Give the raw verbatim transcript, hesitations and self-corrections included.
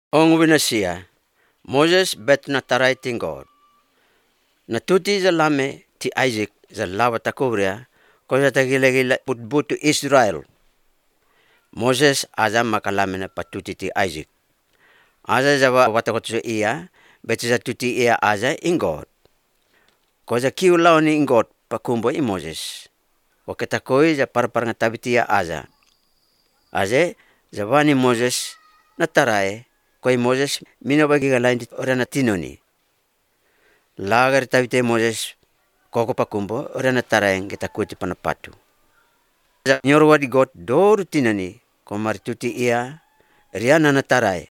Ong winasia, Moses bet na taray ting God. Natuti za lame ti Isaac za lawa takubria ko sa tagila-gila putbutu Israel. Moses aza makalame na patuti ti Isaac. Aza za watakot sa iya, bet sa tuti iya aza in God. Ko sa kiulaw ni in God pakumbo i Moses. Wakitakoy za parpar nga tabitiya aza. Aze, za wani Moses na taray, koy Moses minabagi galain dit ora na tinoni. Lagar tabite Moses koko pakumbo ora na tarayang kita kuti panapatu. Nyorwa di God doru tinoni ko marituti iya riana na taray